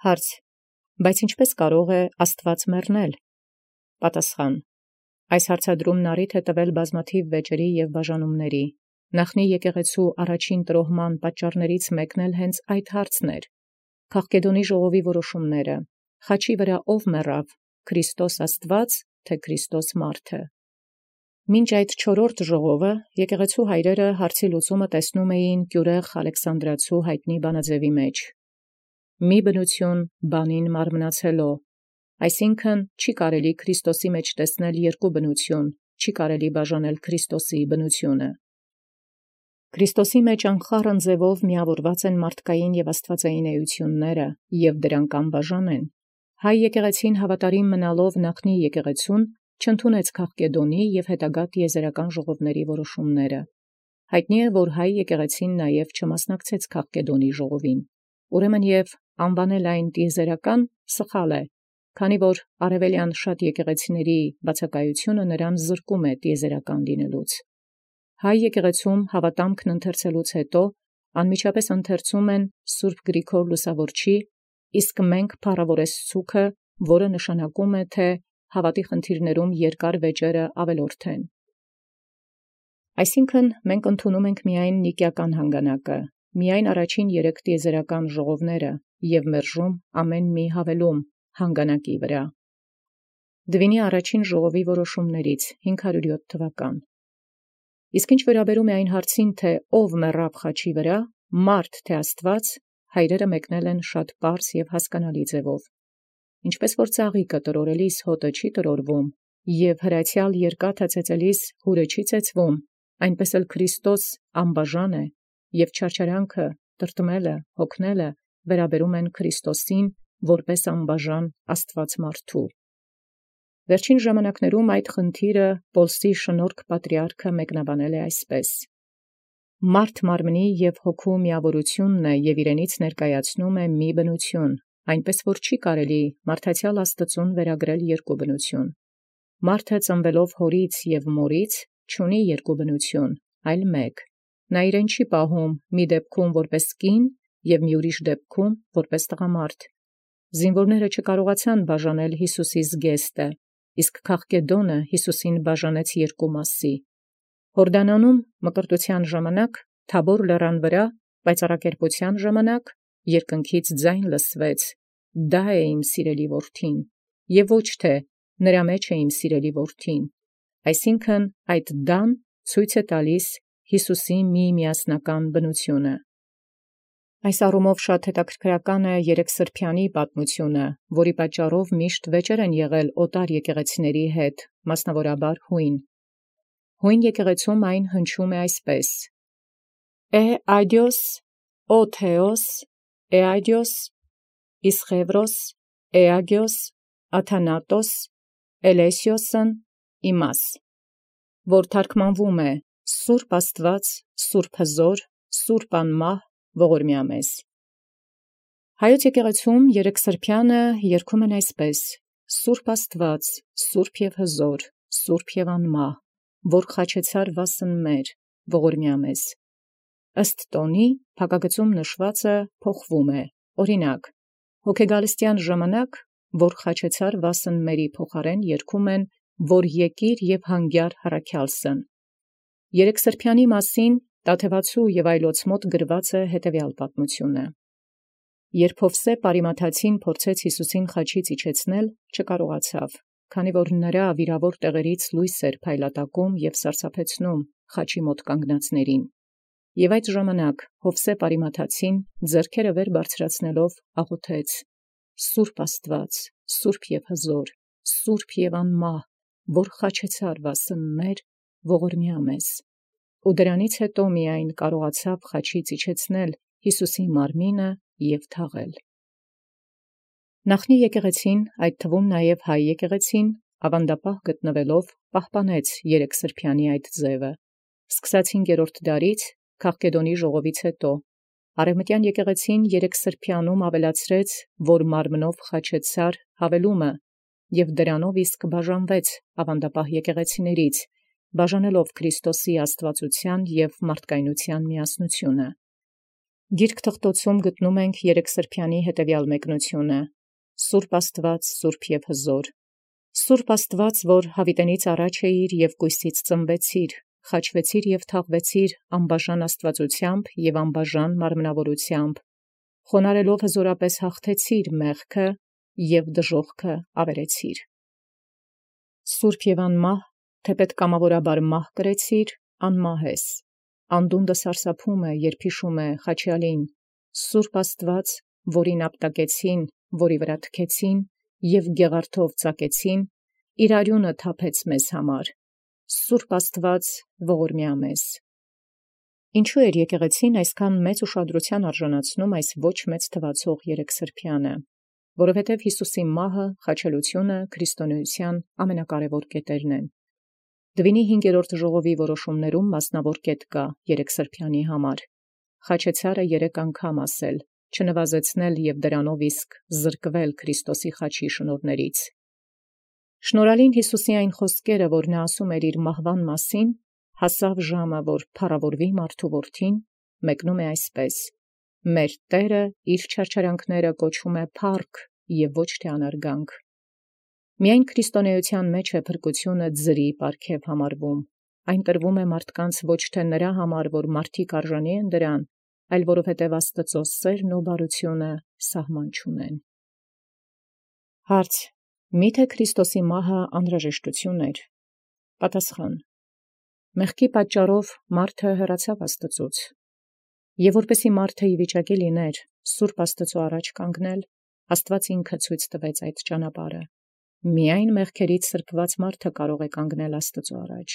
Հարց. բայց ինչպե՞ս կարող է Աստուած մեռնել։ Պատասխան. այս հարցադրումն առիթ է տվել բազմաթիվ վեճերի և բաժանումների։ Նախնի եկեղեցու առաջին տրոհման պատճառներից մեկն էլ հենց այդ հարցն էր։ Քաղկեդոնի ժողովի որոշումները, խաչի վրա ով մեռավ, Քրիստոս Աստված, թե Քրիստոս մարդը։ Մինչ այդ չորրորդ ժողովը եկեղեցու հայրերը հարցի լուծումը տեսնում էին Կյուրեղ Ալեքսանդրացու հայտնի բանաձևի մեջ։ Մի բնություն բանին մարմնացելով, այսինքն չի կարելի Քրիստոսի մեջ տեսնել երկու բնություն, չի կարելի բաժանել Քրիստոսի բնությունը։ Քրիստոսի մեջ անխառն ձևով միավորված են մարդկային և աստվածային էությունները, և դրանք անբաժան են։ Հայ եկեղեցին հավատարիմ մնալով նախնի եկեղեցուն չընդունեց Քաղկեդոնի և հետագա տիեզերական ժողովների որոշումները։ Հայտնի է, որ հայ եկեղեցին նաև չմասնակցեց Քաղկեդոնի ժողովին։ Ուրեմն և անվանել այն տիեզերական սխալ է, քանի որ արևելյան շատ եկեղեցիների բացակայությունը նրան զրկում է տիեզերական լինելուց։ Հայ եկեղեցում հավատամքն ընթերցելուց հետո անմիջապես ընթերցում են Սուրբ Գրիգոր Լուսավորչի, իսկ մենք փառավորես ցուքը, որը նշանակում է, թե հավատի խնդիրներում երկար վեճերը ավելորդ են։ Այսինքն մենք ընդունում ենք միայն նիկիական հանգանակը, միայն առաջին 3 տիեզերական ժողովները և մերժում ամեն մի հավելում հանգանակի վրա։ Դվինի առաջին ժողովի որոշումներից 507 թվական։ Իսկ ինչ վերաբերում է այն հարցին, թե ով մեռավ խաչի վրա, մարդ թե Աստված, հայրերը մեկնել են շատ պարզ և հասկանալի ձևով։ Ինչպես որ ծաղիկը տրորելիս հոտը չի տրորվում, և հրացյալ երկաթը ծեծելիս հուրը չի ծեծվում, այնպես էլ Քրիստոս անբաժան է, և չարչարանքը, տրտմելը, հոգնելը վերաբերում են Քրիստոսին որպես անբաժան Աստված մարդու։ Վերջին ժամանակներում այդ խնդիրը Պոլսի շնորհք պատրիարքը մեկնաբանել է այսպես. մարդ մարմնի և հոգու միավորությունն է և իրենից ներկայացնում է մի բնություն, այնպես որ չի կարելի մարդացյալ Աստծուն վերագրել երկու բնություն։ Մարդը ծնվելով հորից և մորից չունի երկու բնություն, այլ մեկ։ Նա իրեն չի պահում մի դեպքում որպես կին և մի ուրիշ դեպքում որպես տղամարդ։ Զինվորները չկարողացան բաժանել Յիսուսի զգեստը, իսկ Քաղկեդոնը Յիսուսին բաժանեց երկու մասի։ Հորդանանում մկրտության ժամանակ Թաբոր լեռան վրա պայծառակերպության ժամանակ երկնքից ձայն լսվեց. «Դա է իմ սիրելի որդին», և ոչ թե «նրա մեջ է իմ սիրելի որդին», այսինքն այդ դան ցույց է տալիս Յիսուսի միասնական բնությունը։ Այս առումով շատ հետաքրքրական է Երեքսրբյանի պատմությունը, որի պատճառով միշտ վեճեր են եղել օտար եկեղեցիների հետ, մասնավորաբար հույն։ Հույն եկեղեցում այն հնչում է այսպես. Այդիոս, օ Թեոս, այդիոս, Իսխևրոս, Այագիոս, Աթանատոս, Էլեսիոսն իմաս, որ թարգմանվում է Սուրբ Աստված, Սուրբ Հզոր, Սուրբ Անմահ, ողորմյա մեզ։ Հայոց եկեղեցում երեքսրբյանը երգում են այսպես. Սուրբ Աստված, Սուրբ և Հզոր, Սուրբ և Անմահ, որ խաչեցար վասն մեր, ողորմյա մեզ։ Ըստ տոնի փակագծում նշվածը փոխվում է, օրինակ, հոգեգալստյան ժամանակ, որ խաչեցար վասն մերի փոխարեն երգում են, որ եկիր և հանգյար հառաքյալսն։ Երեքսրբյանի մասին Տաթևացու և այլոց մոտ գրված է հետևյալ պատմությունը։ Երբ Յովսեփ Արիմաթացին փորձեց Յիսուսին խաչից իջեցնել, չկարողացավ, քանի որ նրա վիրավոր տեղերից լույս էր փայլատակում և սարսափեցնում խաչի մոտ կանգնածներին։ Եւ այդ ժամանակ Յովսեփ Արիմաթացին ձեռքերը վեր բարձրացնելով աղոթեց. Սուրբ Աստված, Սուրբ և Հզոր, Սուրբ և Անմահ, որ խաչեցար վասն մեր, ողորմյա մեզ։ Ու դրանից հետո միայն կարողացավ խաչից իջեցնել Յիսուսի մարմինը և թաղել։ Նախնի եկեղեցին, այդ թվում նաև հայ եկեղեցին, ավանդապահ գտնվելով պահպանեց Երեքսրբյանի այդ ձևը։ Սկսած 5-րդ դարից Քաղկեդոնի ժողովից հետո Արևմտյան եկեղեցին Երեքսրբյանում ավելացրեց, որ մարմնով խաչեցար հավելումը, և դրանով իսկ բաժանվեց ավանդապահ եկեղեցիներից, բաժանելով Քրիստոսի աստվածության և մարդկայնության միասնությունը։ Գիրք թղթոցում գտնում ենք Երեքսրբյանի հետևյալ մեկնությունը. Սուրբ Աստված, Սուրբ և հզոր։ Սուրբ Աստված, որ յաւիտենից առաջ էիր և կույսից ծնվեցիր, խաչվեցիր և թաղվեցիր անբաժան աստվածութեամբ և անբաժան մարմնավորութեամբ, խոնարհելով հզորապես հաղթեցիր մեղքը և դժոխքը ավերեցիր։ Սուրբ և անմահ, թեպետ կամավորաբար մահ կրեցիր, անմահ ես, անդունդը սարսափում է, երբ հիշում է խաչյալին, Սուրբ Աստված, որին ապտակեցին, որի վրա թքեցին և գեղարդով ծակեցին, իր արյունը թափեց մեզ համար, Սուրբ Աստված ողորմյա մեզ։ Ինչու էր եկեղեցին այսքան մեծ ուշադրության արժանացնում այս ոչ մեծ թվացող երեքսրբյանը, որովհետև Յիսուսի մահը, խաչելությունը քրիստոնեության ամենակարևոր կետերն են։ Դվինի 5-րդ ժողովի որոշումներում մասնավոր կետ կա երեքսրբյանի համար։ Խաչեցարը 3 անգամ ասել, չնվազեցնել և դրանով իսկ զրկվել Քրիստոսի խաչի շնորհներից։ Շնորհալին Յիսուսի այն խոսքերը, որ նա ասում էր իր մահվան մասին, հասավ ժամը, որ փառավորվի մարդու որդին, մեկնում է այսպես. մեր Տերը իր չարչարանքները կոչում է փառք և ոչ թե անարգանք։ Միայն քրիստոնեության մեջ է փրկությունը ձրի պարգև համարվում, այն տրվում է մարդկանց ոչ թե նրա համար, որ մարդիկ արժանի են դրան, այլ որովհետև Աստծո սերն ու բարությունը սահման չունեն։ Հարց. Միթե Քրիստոսի մահը անհրաժեշտություն էր։ Պատասխան. մեղքի պատճառով մարդը հեռացավ Աստծուց, և որպեսզի մարդը ի վիճակի լիներ սուրբ Աստծո առաջ կանգնել, Աստված ինքը ցույց տվեց այդ ճանապարհը։ Միայն մեղքերից սրբված մարդը կարող է կանգնել Աստծո առաջ։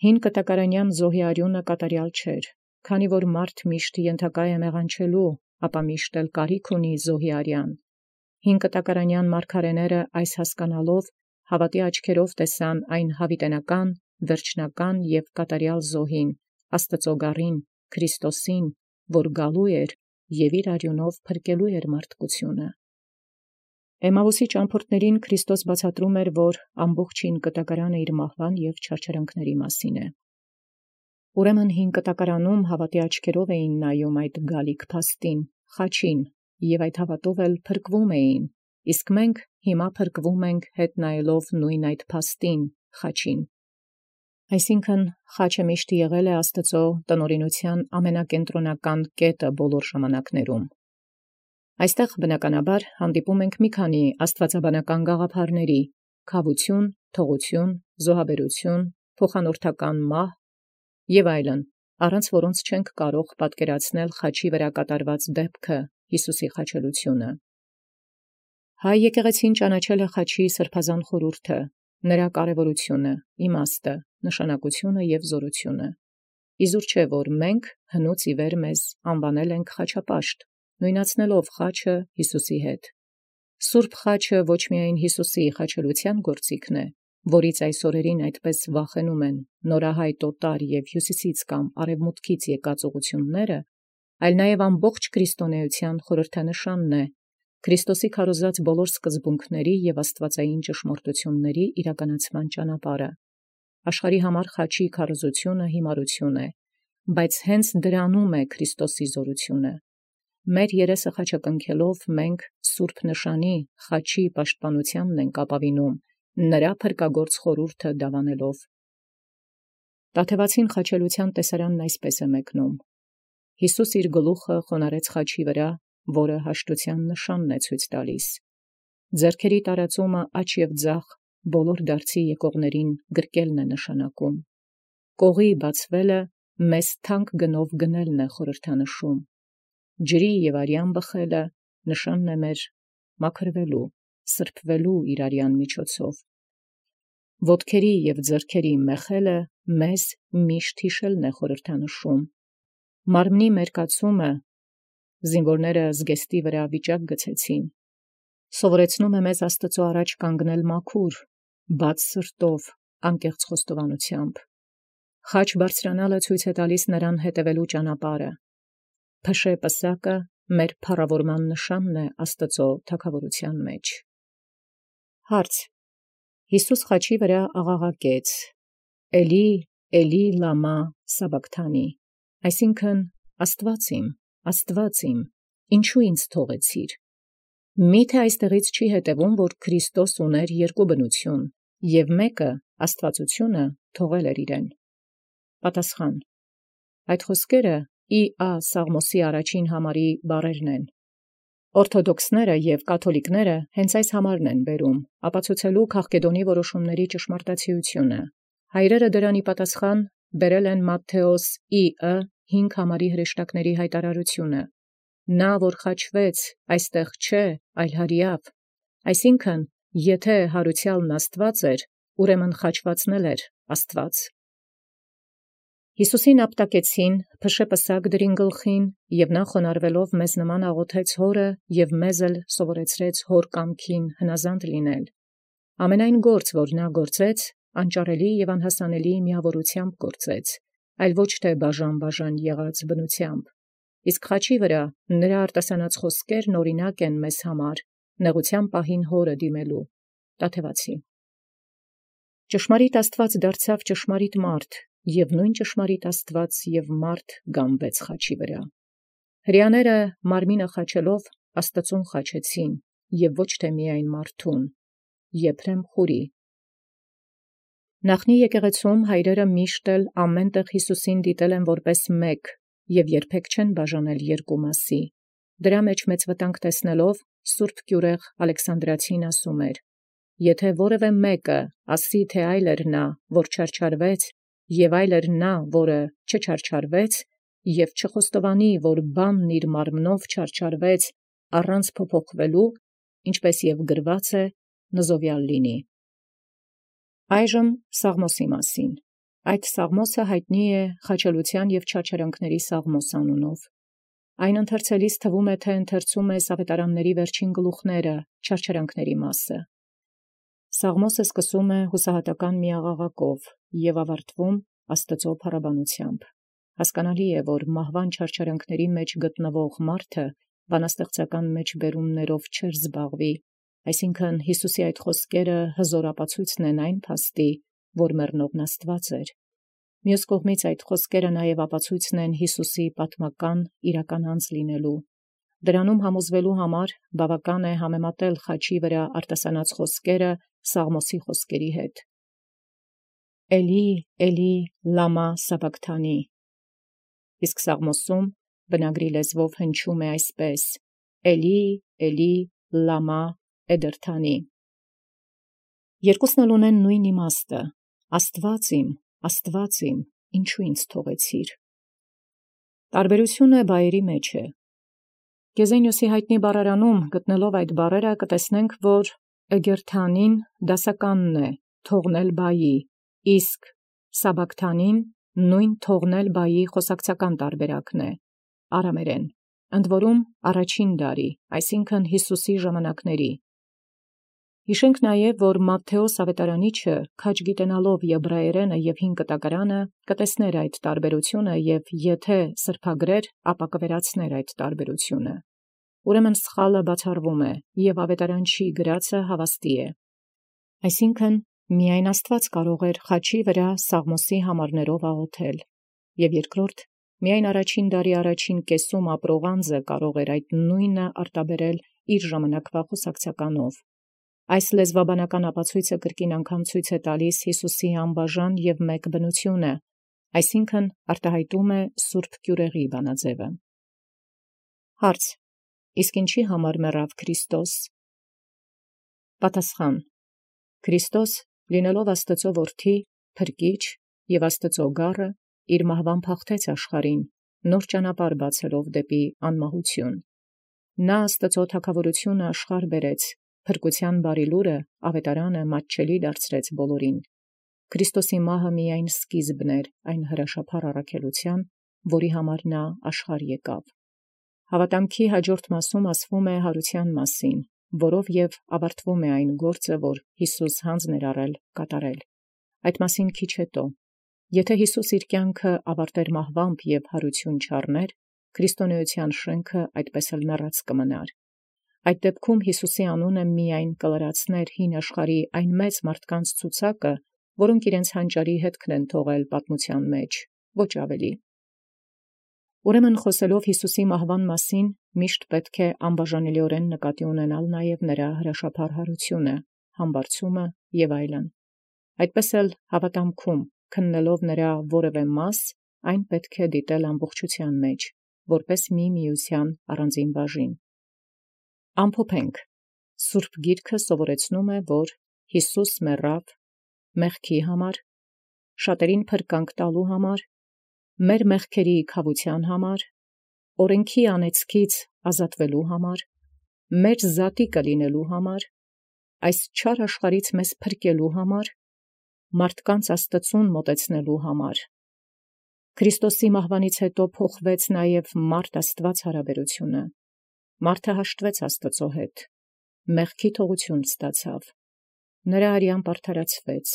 Հին կտակարանյան զոհի արյունը կատարյալ չէր, քանի որ մարդ միշտ ենթակա է մեղանչելու, ապա միշտ էլ կարիք ունի զոհի արյան։ Հին կտակարանյան մարգարեները այս հասկանալով հավատի աչքերով տեսան այն հավիտենական, վերջնական և կատարյալ զոհին, Աստծո գառին, Քրիստոսին, որ գալու էր և իր արյունով փրկելու էր մարդկությունը։ Էմաուսի ճամփորդներին Քրիստոս բացատրում էր, որ ամբողջ հին կտակարանը իր մահվան և չարչարանքների մասին է։ Ուրեմն հին կտակարանում հավատի աչքերով էին նայում այդ գալիք փաստին, խաչին, և այդ հավատով էլ փրկվում էին, իսկ մենք հիմա փրկվում ենք հետ նայելով նույն այդ փաստին, խաչին։ Այսինքն խաչը միշտ եղել է Աստծո տնօրինության ամենակենտրոնական կետը բոլոր ժամանակներում։ Այստեղ բնականաբար հանդիպում ենք մի քանի աստվածաբանական գաղափարների՝ քավություն, թողություն, զոհաբերություն, փոխանորդական մահ և այլն, առանց որոնց չենք կարող պատկերացնել խաչի վրա կատարված դեպքը, Յիսուսի խաչելությունը։ Հայ եկեղեցին ճանաչել է խաչի սրբազան խորհուրդը, նրա կարևորությունը, իմաստը, նշանակությունը և զորությունը։ Իզուր չէ, որ մենք հնուց ի վեր մեզ անվանել ենք խաչապաշտ, նույնացնելով խաչը Յիսուսի հետ։ Սուրբ խաչը ոչ միայն Յիսուսի խաչելության գործիքն է, որից այս օրերին այդպես վախենում են նորահայտ օտար և հյուսիսից կամ արևմուտքից եկած ուղղությունները, այլ նաև ամբողջ քրիստոնեության խորհրդանշանն է, Քրիստոսի քարոզած բոլոր սկզբունքների և աստվածային ճշմարտությունների իրականացման ճանապարհը։ Աշխարհի համար խաչի քարոզությունը հիմարություն է, բայց հենց դրանում է Քրիստոսի զորությունը։ Մեր երեսը խաչակնքելով մենք սուրբ նշանի խաչի պաշտպանությանն ենք ապավինում, նրա փրկագործ խորհուրդը դավանելով։ Տաթևացին խաչելության տեսարանն այսպես է մեկնում. Յիսուս իր գլուխը խոնարհեց խաչի վրա, որը հաշտության նշանն է ցույց տալիս։ Ձեռքերի տարածումը աջ և ձախ բոլոր դարձի եկողներին գրկելն է նշանակում։ Կողի բացվելը մեզ թանկ գնով գնելն է խորհրդանշում։ Ջրի և արյան բխելը նշանն է մեր մաքրվելու, սրբվելու իր արյան միջոցով։ Ոտքերի և ձեռքերի մեխելը մեզ միշտ հիշելն է խորհրդանշում։ Մարմնի մերկացումը, զինվորները զգեստի վրա վիճակ գցեցին, սովորեցնում է մեզ Աստծո առաջ կանգնել մաքուր, բաց սրտով, անկեղծ խոստովանությամբ։ Խաչ բարձրանալը ցույց է տալիս նրան հետևելու ճանապարհը։ Փշե պսակը մեր փառավորման նշանն է Աստծո թագավորության մեջ։ Հարց. Յիսուս խաչի վրա աղաղակեց. Էլի, Էլի, լամա սաբակթանի, այսինքն Աստված իմ, Աստուած իմ, ինչու ինձ թողեցիր։ Միթե այստեղից չի հետևում, որ Քրիստոս ուներ երկու բնություն, և մեկը աստվածությունը թողել էր իրեն։ Պատասխան. այդ խոսքերը Ա. Սաղմոսի առաջին համարի բառերն են։ Օրթոդոքսները և կաթոլիկները հենց այս համարն են բերում, ապացուցելու Քաղկեդոնի որոշումների ճշմարտացիությունը։ Հայրերը դրան ի պատասխան բերել են Մատթեոս Ը. 5 համարի հրեշտակների հայտարարությունը։ Նա, որ խաչվեց, այստեղ չէ, այլ հրեավ, այսինքն, եթե հարուցյալն Աստված էր, ուրեմն խաչվածն էլ էր Աստված։ Յիսուսին ապտակեցին, փշե պսակ դրին գլխին, և նա խոնարհվելով մեզ նման աղոթեց Հորը և մեզ էլ սովորեցրեց հոր կամքին հնազանդ լինել։ Ամենայն գործ, որ նա գործեց, անճարելի և անհասանելի միավորությամբ գործեց, այլ ոչ թե բաժան եղած բնությամբ։ Իսկ խաչի վրա նրա արտասանած խոսքերն օրինակ են մեզ համար, նեղության պահին Հորը դիմելու։ Տաթևացի։ Ճշմարիտ Աստված դարձավ ճշմարիտ մարդ, և նույն ճշմարիտ Աստված և մարդ գանվեց խաչի վրա։ Հրեաները մարմինը խաչելով Աստծուն խաչեցին, և ոչ թե միայն մարդուն։ Եփրեմ Խուրի։ Նախնի եկեղեցում հայրերը միշտ էլ ամեն տեղ Յիսուսին դիտել են որպես մեկ և երբեք չեն բաժանել երկու մասի։ Դրա մեջ մեծ վտանգ տեսնելով Սուրբ Գյուրեղ Ալեքսանդրացին ասում էր. «Եթե որևէ մեկը ասի, թե այլ էր նա, որ չարչարվեց, և այլ էր նա, որը չչարչարվեց, և չխոստովանի, որ բանն իր մարմնով չարչարվեց առանց փոփոխվելու, ինչպես և գրված է, նզովյալ լինի»։ Այժմ Սաղմոսի մասին։ Այդ Սաղմոսը հայտնի է խաչելության և չարչարանքների Սաղմոս անունով։ Այն ընթերցելիս թվում է, թե ընթերցում ես ավետարանների վերջին գլուխները, չարչարանքների մասը։ Սաղմոսը սկսում է հուսահատական մի աղաղակով և ավարտվում Աստծո փառաբանությամբ։ Հասկանալի է, որ մահվան չարչարանքների մեջ գտնվող մարդը բանաստեղծական մեջբերումներով չէր զբաղվի, այսինքն Յիսուսի այդ խոսքերը հզոր ապացույցն են այն փաստի, որ մեռնողն Աստված էր։ Մյուս կողմից այդ խոսքերը նաև ապացույցն են Յիսուսի պատմական իրական անձ լինելու։ Դրանում համոզվելու համար բավական է համեմատել խաչի վրա արտասանած խոսքերը Սաղմոսի խոսքերի հետ։ Էլի, Էլի, լամա սաբակթանի։ Իսկ Սաղմոսում բնագրի լեզվով հնչում է այսպես. Էլի, Էլի, լամա էդերթանի։ Երկուսն էլ ունեն նույն իմաստը. Աստված իմ, ինչու ինձ թողեցիր։ Տարբերությունը բայերի մեջ է։ Գեզենիոսի հայտնի բառարանում գտնելով այդ բառերը կտեսնենք, որ էգերթանին դասականն է, թողնել բայի, իսկ սաբակթանին նույն թողնել բայի խոսակցական տարբերակն է, արամերեն, ընդ որում առաջին դարի, այսինքն Յիսուսի ժամանակների։ Հիշենք նաև, որ Մատթեոս ավետարանիչը քաջ գիտենալով եբրայերենը և հին կտակարանը կտեսներ այդ տարբերությունը և եթե սրբագրեր, ապա կվերացներ այդ տարբերությունը։ Ուրեմն սխալը բացառվում է և ավետարանչի գրածը հավաստի է։ Այսինքն միայն Աստված կարող էր խաչի վրա Սաղմոսի համարներով աղոթել, և երկրորդ, միայն առաջին դարի առաջին կեսում ապրող անձը կարող էր այդ նույնը արտաբերել իր ժամանակվա խոսակցականով։ Այս լեզվաբանական ապացույցը կրկին անգամ ցույց է տալիս Յիսուսի անբաժան և մեկ բնությունը, այսինքն արտահայտում է Սուրբ Գյուրեղի բանաձևը։ Հարց. իսկ ինչի համար մեռավ Քրիստոս։ Պատասխան. Քրիստոս, լինելով Աստծո որդի, փրկիչ և Աստծո գառը, իր մահվան փախթեց աշխարհին, նոր ճանապարհ բացելով դեպի անմահություն։ Նա Աստծո թագավորությունը աշխարհ բերեց, փրկության բարի լուրը ավետարանը մատչելի դարձրեց բոլորին։ Քրիստոսի մահը միայն սկիզբն էր այն հրաշափառ առաքելության, որի համար նա աշխարհ եկավ։ Հավատամքի հաջորդ մասում ասվում է հարության մասին, որով և ավարտվում է այն գործը, որ Յիսուս հանձն էր առել կատարել։ Այդ մասին քիչ հետո։ Եթե Յիսուս իր կյանքը ավարտեր մահվամբ և հարություն չառներ, քրիստոնեության շենքը այդպես էլ մեռած կմնար։ Այդ դեպքում Յիսուսի անունը միայն կլրացներ հին աշխարհի այն մեծ մարդկանց ցուցակը, որոնք իրենց հանճարի հետքն են թողել պատմության մեջ, ոչ ավելի։ Ուրեմն խոսելով Յիսուսի մահվան մասին, միշտ պետք է անբաժանելիորեն նկատի ունենալ նաև նրա հրաշափառ հարությունը, համբարձումը եւ այլն։ Այդպես էլ հավատամքում քննելով նրա որևէ մաս, այն պետք է դիտել ամբողջութեան մեջ, որպես մի միության առանձին բաժին։ Ամփոփենք. Սուրբ Գիրքը սովորեցնում է, որ Յիսուս մեռավ մեղքի համար, շատերին փրկանք տալու համար, մեր մեղքերի քավության համար, օրենքի անեծքից ազատվելու համար, մեր զատիկը լինելու համար, այս չար աշխարհից մեզ փրկելու համար, մարդկանց Աստծուն մոտեցնելու համար։ Քրիստոսի մահվանից հետո փոխվեց նաև մարդ-Աստված հարաբերությունը։ Մարդը հաշտվեց Աստծո հետ, մեղքի թողություն ստացավ, նրա արյամբ արդարացվեց,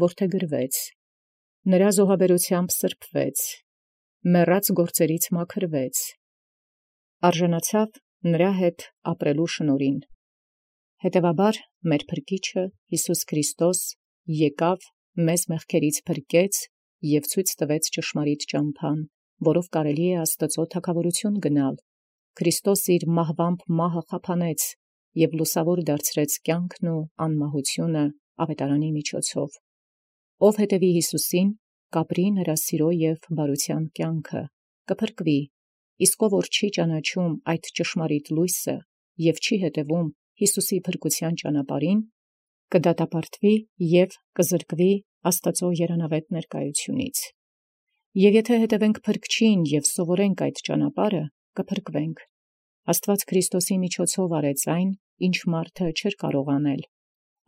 որդեգրվեց, նրա զոհաբերությամբ սրբվեց, մեռած գործերից մաքրվեց, արժանացավ նրա հետ ապրելու շնորհին։ Հետևաբար մեր Փրկիչը Յիսուս Քրիստոս եկավ, մեզ մեղքերից փրկեց և ցույց տվեց ճշմարիտ ճամփան, որով կարելի է Աստծո թագաւորություն գնալ։ Քրիստոս իր մահվամբ մահը խափանեց և լուսավոր դարձրեց կյանքն ու անմահությունը ավետարանի միջոցով։ Ով հետևի Յիսուսին, կապրի նրա սիրո և բարության կյանքը, կփրկվի, իսկ ով որ չի ճանաչում այդ ճշմարիտ լույսը և չի հետևում Յիսուսի փրկության ճանապարհին, կդատապարտվի և կզրկվի Աստծո երանավետ ներկայությունից։ Եվ եթե հետևենք Փրկչին և սովորենք այդ ճանապարհը, կփրկվենք։ Աստված Քրիստոսի միջոցով արեց այն, ինչ մարդը չէր կարող անել։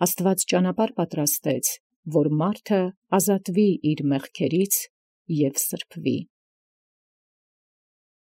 Աստված ճանապարհ պատրաստեց, որ մարդը ազատվի իր մեղքերից և սրբվի։